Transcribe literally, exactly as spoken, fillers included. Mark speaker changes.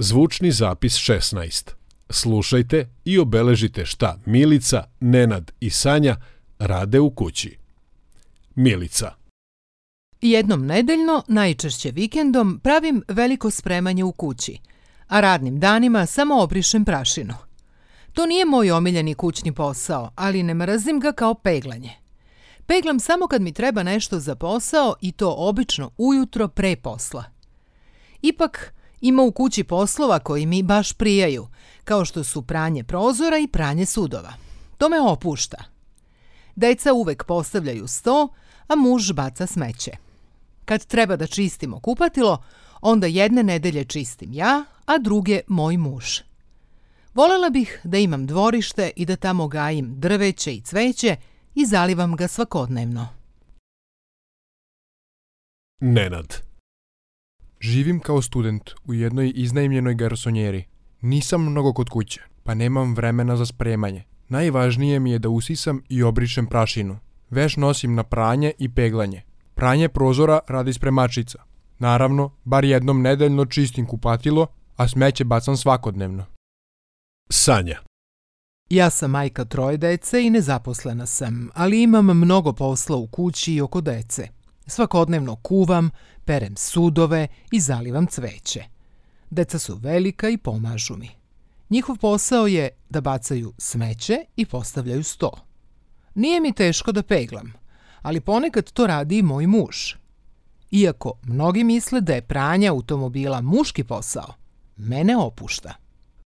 Speaker 1: Zvučni zapis šesnaest. Slušajte i obeležite šta Milica, Nenad i Sanja rade u kući. Milica.
Speaker 2: Jednom nedeljno, najčešće vikendom, pravim veliko spremanje u kući, a radnim danima samo obrišem prašinu. To nije moj omiljeni kućni posao, ali ne mrzim ga kao peglanje. Peglam samo kad mi treba nešto za posao i to obično ujutro pre posla. Ipak, ima u kući poslova koji mi baš prijaju, kao što su pranje prozora i pranje sudova. To me opušta. Deca uvek postavljaju sto, a muž baca smeće. Kad treba da čistimo kupatilo, onda jedne nedelje čistim ja, a druge moj muž. Volela bih da imam dvorište i da tamo gajim drveće i cveće i zalivam ga svakodnevno.
Speaker 1: Nenad.
Speaker 3: Živim kao student u jednoj iznajmljenoj garsonjeri. Nisam mnogo kod kuće, pa nemam vremena za spremanje. Najvažnije mi je da usisam i obrišem prašinu. Veš nosim na pranje i peglanje. Pranje prozora radi spremačica. Naravno, bar jednom nedeljno čistim kupatilo, a smeće bacam svakodnevno.
Speaker 1: Sanja.
Speaker 2: Ja sam majka troje dece i nezaposlena sam, ali imam mnogo posla u kući i oko dece. Svakodnevno kuvam, perem sudove i zalivam cveće. Deca su velika i pomažu mi. Njihov posao je da bacaju smeće i postavljaju sto. Nije mi teško da peglam, ali ponekad to radi i moj muž. Iako mnogi misle da je pranje automobila muški posao, mene opušta.